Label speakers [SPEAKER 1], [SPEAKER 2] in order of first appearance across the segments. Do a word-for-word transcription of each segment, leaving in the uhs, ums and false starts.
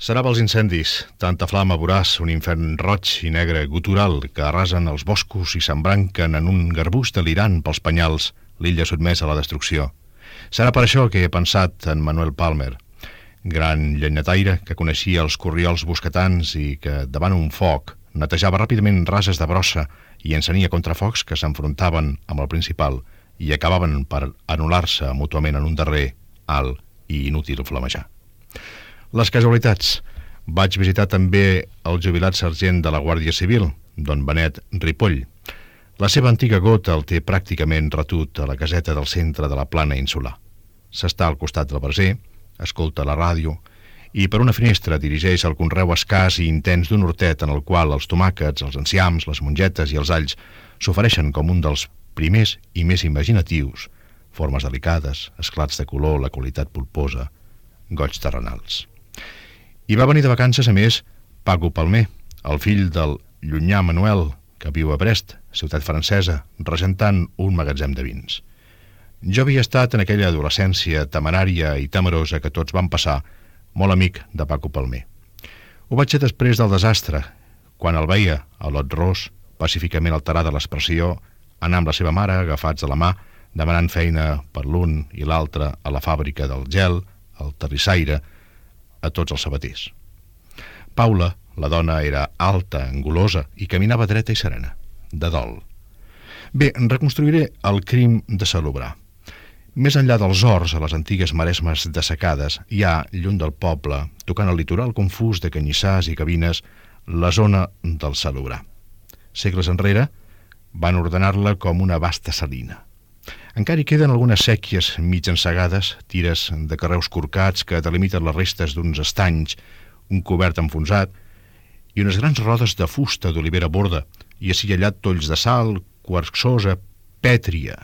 [SPEAKER 1] Serà pels incendis, tanta flama voràs, un infern roig i negre gutural que arrasen els boscos i s'embranquen en un garbús delirant pels penyals, l'illa sotmesa a la destrucció. Serà per això que he pensat en Manuel Palmer, gran llenyataire que coneixia els corriols bosquetans i que, davant un foc, netejava ràpidament rases de brossa i encenia contrafocs que s'enfrontaven amb el principal i acabaven per anul·lar-se mútuament en un darrer, alt i inútil flamejar. Les casualitats. Vaig visitar també el jubilat sergent de la Guàrdia Civil, don Benet Ripoll. La seva antiga gota el té pràcticament retut a la caseta del centre de la plana insular. S'està al costat del braser, escolta la ràdio i per una finestra dirigeix el conreu escàs i intens d'un hortet en el qual els tomàquets, els enciams, les mongetes i els alls s'ofereixen com un dels primers i més imaginatius, formes delicades, esclats de color, la qualitat pulposa, goigs terrenals. Hi va venir de vacances, a més, Paco Palmer, el fill del llunyà Manuel, que viu a Brest, ciutat francesa, regentant un magatzem de vins. Jo havia estat en aquella adolescència temerària i temerosa que tots van passar, molt amic de Paco Palmer. Ho vaig ser després del desastre, quan el veia a l'Ot Ros, pacíficament alterada l'expressió, anar amb la seva mare, agafats de la mà, demanant feina per l'un i l'altre a la fàbrica del gel, al terrissaire, a tots els sabaters. Paula, la dona, era alta, angulosa i caminava dreta i serena, de dol. Bé, reconstruiré el crim de Salobrar. Més enllà dels horts, a les antigues maresmes dessecades, hi ha, lluny del poble, tocant el litoral confús de canyissars i cabines, la zona del Salobrar. Segles enrere, van ordenar-la com una vasta salina. Encara hi queden algunes sèquies mig ensegades, tires de carreus corcats que delimiten les restes d'uns estanys, un cobert enfonsat i unes grans rodes de fusta d'olivera borda i ací i allà tolls de sal, quarzosa, pètria.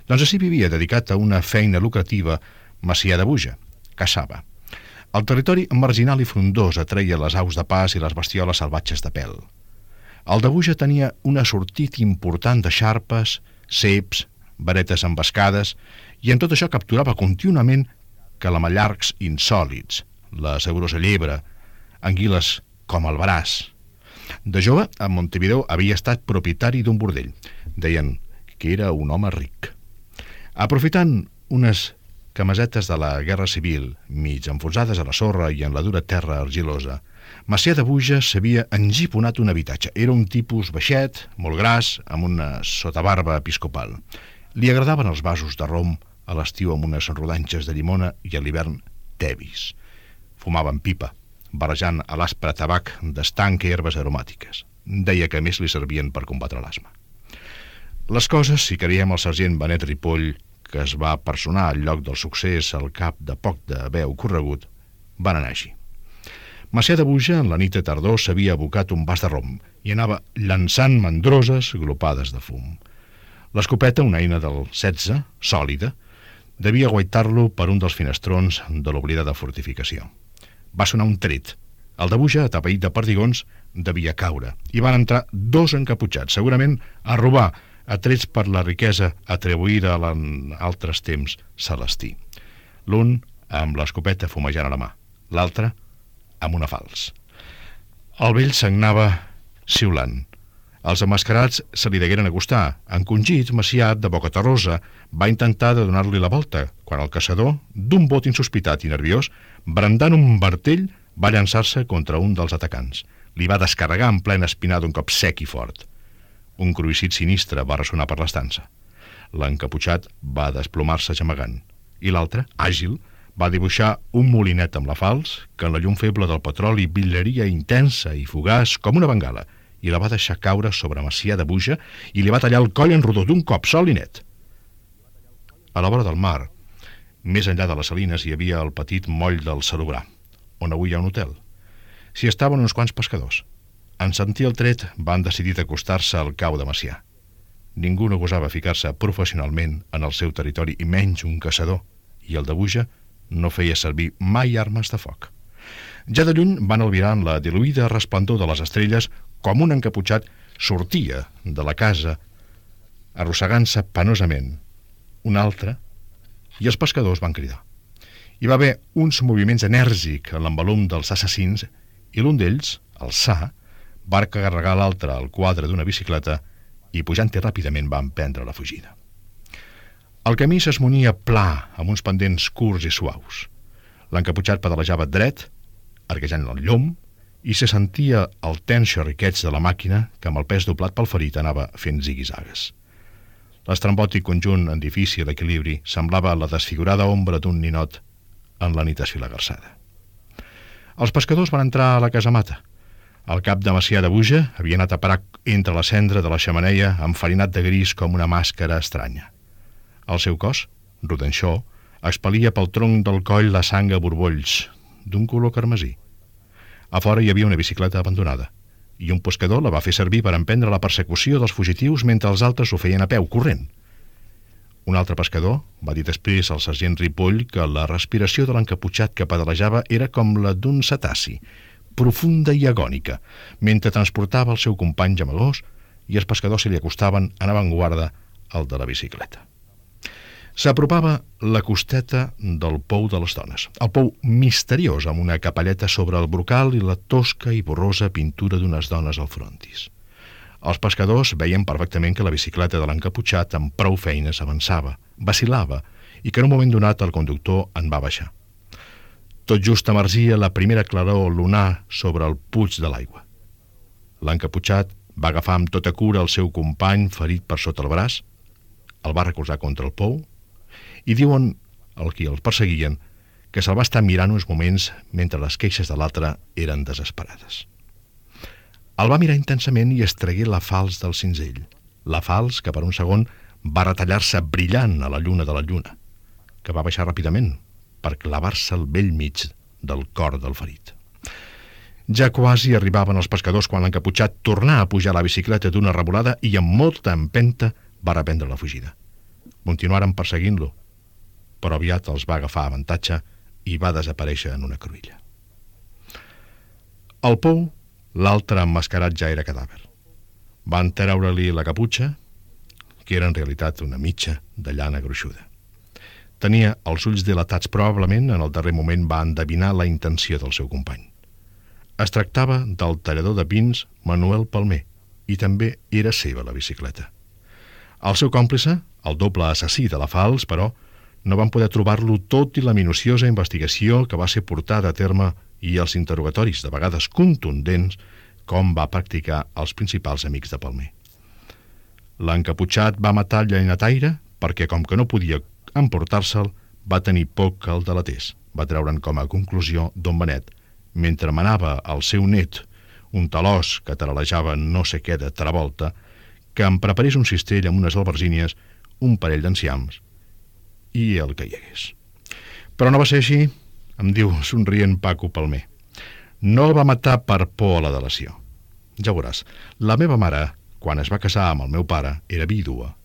[SPEAKER 1] Doncs ací vivia, dedicat a una feina lucrativa, Macià de Buja, caçava. El territori marginal i frondós atreia les aus de pas i les bestioles salvatges de pèl. El de Buja tenia un assortit important de xarpes, ceps, varetes embascades, i en tot això capturava contínuament calamallargs insòlits, la saborosa llebre, anguiles com el veràs. De jove, a Montevideo havia estat propietari d'un bordell. Deien que era un home ric. Aprofitant unes camisetes de la Guerra Civil, mig enfonsades a la sorra i en la dura terra argilosa, Macià de Buja s'havia engiponat un habitatge. Era un tipus baixet, molt gras, amb una sotabarba episcopal. Li agradaven els vasos de rom a l'estiu amb unes rodanxes de llimona i a l'hivern tevis. Fumaven pipa, barrejant a l'aspre tabac d'estanc i herbes aromàtiques. Deia que a més li servien per combatre l'asma. Les coses, si creiem el sergent Benet Ripoll, que es va personar al lloc del succés al cap de poc d'haver ocorregut, van anar així. Macià de Buja, en la nit de tardor, s'havia abocat un vas de rom i anava llançant mandroses glopades de fum. L'escopeta, una eina del setze, sòlida, devia guaitar-lo per un dels finestrons de l'oblidada fortificació. Va sonar un tret. El de Buja, atapeït de perdigons, devia caure, i van entrar dos encaputxats, segurament a robar, atrets per la riquesa atribuïda en altres temps celestí. L'un amb l'escopeta fumejant a la mà, l'altre amb una fals. El vell sagnava xiulant. Els emmascarats se li degueren acostar. Encongit, Macià, de boca terrosa, va intentar de donar-li la volta, quan el caçador, d'un bot insospitat i nerviós, brandant un martell, va llançar-se contra un dels atacants. Li va descarregar en plena espinada un cop sec i fort. Un cruïcit sinistre va ressonar per l'estança. L'encaputxat va desplomar-se gemegant, i l'altre, àgil, va dibuixar un molinet amb la fals que en la llum feble del petroli brillaria intensa i fugaç com una bengala, i la va deixar caure sobre Macià de Buja i li va tallar el coll en rodó d'un cop sol i net. A la vora del mar, més enllà de les salines, hi havia el petit moll del Salobrar, on avui hi ha un hotel. S'hi estaven uns quants pescadors. En sentir el tret, van decidir d'acostar-se al cau de Macià. Ningú no gosava ficar-se professionalment en el seu territori, i menys un caçador, i el de Buja no feia servir mai armes de foc. Ja de lluny van albirar en la diluïda resplendor de les estrelles com un encaputxat sortia de la casa arrossegant-se penosament. Un altre, i els pescadors van cridar. Hi va haver uns moviments enèrgics en l'envolum dels assassins i l'un d'ells, el Sa, va carregar l'altre al quadre d'una bicicleta i pujant-hi ràpidament va emprendre la fugida. El camí s'esmunia pla, amb uns pendents curts i suaus. L'encaputxat pedalejava dret, arquejant el llom, i se sentia el tens xerriqueig de la màquina que amb el pes doblat pel ferit anava fent ziguizagues. L'estrambòtic conjunt en difícil equilibri semblava la desfigurada ombra d'un ninot en la nit esfilagarçada. Els pescadors van entrar a la casamata. El cap de Macià de Buja havia anat a parar entre la cendra de la xemeneia enfarinat de gris com una màscara estranya. El seu cos, rodanxó, expelia pel tronc del coll la sang a borbolls, d'un color carmesí. A fora hi havia una bicicleta abandonada, i un pescador la va fer servir per emprendre la persecució dels fugitius mentre els altres ho feien a peu, corrent. Un altre pescador va dir després al sergent Ripoll que la respiració de l'encaputxat que pedalejava era com la d'un cetaci, profunda i agònica, mentre transportava el seu company gemegós i els pescadors se li acostaven en avantguarda al de la bicicleta. S'apropava la costeta del pou de les dones, el pou misteriós amb una capelleta sobre el brocal i la tosca i borrosa pintura d'unes dones al frontis. Els pescadors veien perfectament que la bicicleta de l'encaputxat amb prou feines avançava, vacil·lava i que en un moment donat el conductor en va baixar. Tot just emergia la primera claror lunar sobre el puig de l'aigua. L'encaputxat va agafar amb tota cura el seu company ferit per sota el braç, el va recolzar contra el pou i diuen el qui els perseguien que se'l va estar mirant uns moments mentre les queixes de l'altre eren desesperades. El va mirar intensament i es tragué la falç del cinzell, la falç que per un segon va retallar-se brillant a la lluna de la lluna, que va baixar ràpidament per clavar-se al bell mig del cor del ferit. Ja quasi arribaven els pescadors quan l'encaputxat tornà a pujar a la bicicleta d'una revolada i amb molta empenta va reprendre la fugida. Continuaren perseguint-lo, però aviat els va agafar avantatge i va desaparèixer en una cruïlla. Al pou, l'altre emmascarat ja era cadàver. Van treure-li la caputxa, que era en realitat una mitja de llana gruixuda. Tenia els ulls dilatats, probablement en el darrer moment va endevinar la intenció del seu company. Es tractava del tallador de pins Manuel Palmer, i també era seva la bicicleta. El seu còmplice, el doble assassí de la falç, però, no van poder trobar-lo tot i la minuciosa investigació que va ser portada a terme i els interrogatoris, de vegades contundents, com va practicar els principals amics de Palmer. L'encaputxat va matar el llenyataire perquè, com que no podia emportar-se'l, va tenir por que el delatés. Va treure'n com a conclusió Don Benet, mentre manava al seu net, un talòs que taralejava no sé què de Travolta, que em preparés un cistell amb unes albergínies, un parell d'enciams i el que hi hagués. Però no va ser així, em diu somrient Paco Palmer. No el va matar per por a la delació. Ja veuràs, la meva mare, quan es va casar amb el meu pare, era vídua.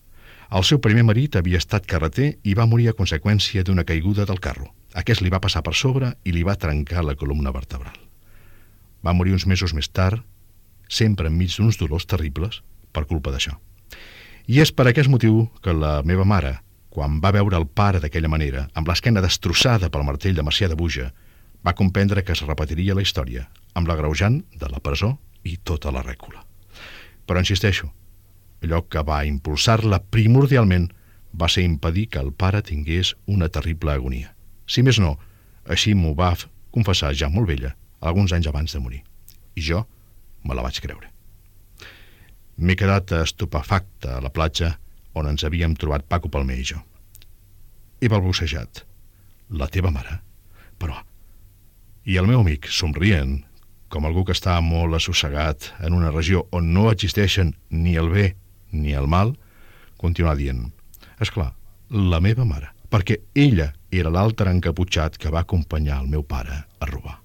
[SPEAKER 1] El seu primer marit havia estat carreter i va morir a conseqüència d'una caiguda del carro. Aquest li va passar per sobre i li va trencar la columna vertebral. Va morir uns mesos més tard, sempre enmig d'uns dolors terribles, per culpa d'això. I és per aquest motiu que la meva mare, quan va veure el pare d'aquella manera, amb l'esquena destrossada pel martell de Macià de Buja, va comprendre que es repetiria la història, amb l'agreujant de la presó i tota la rècula. Però insisteixo, allò que va impulsar-la primordialment va ser impedir que el pare tingués una terrible agonia. Si més no, així m'ho va confessar ja molt vella, alguns anys abans de morir. I jo me la vaig creure. M'he quedat estupefacte a la platja on ens havíem trobat Paco Palmer i jo. He balbucejat. La teva mare? Però... I el meu amic, somrient, com algú que està molt assossegat en una regió on no existeixen ni el bé ni el mal, continuà dient: esclar, la meva mare, perquè ella era l'altre encaputxat que va acompanyar el meu pare a robar.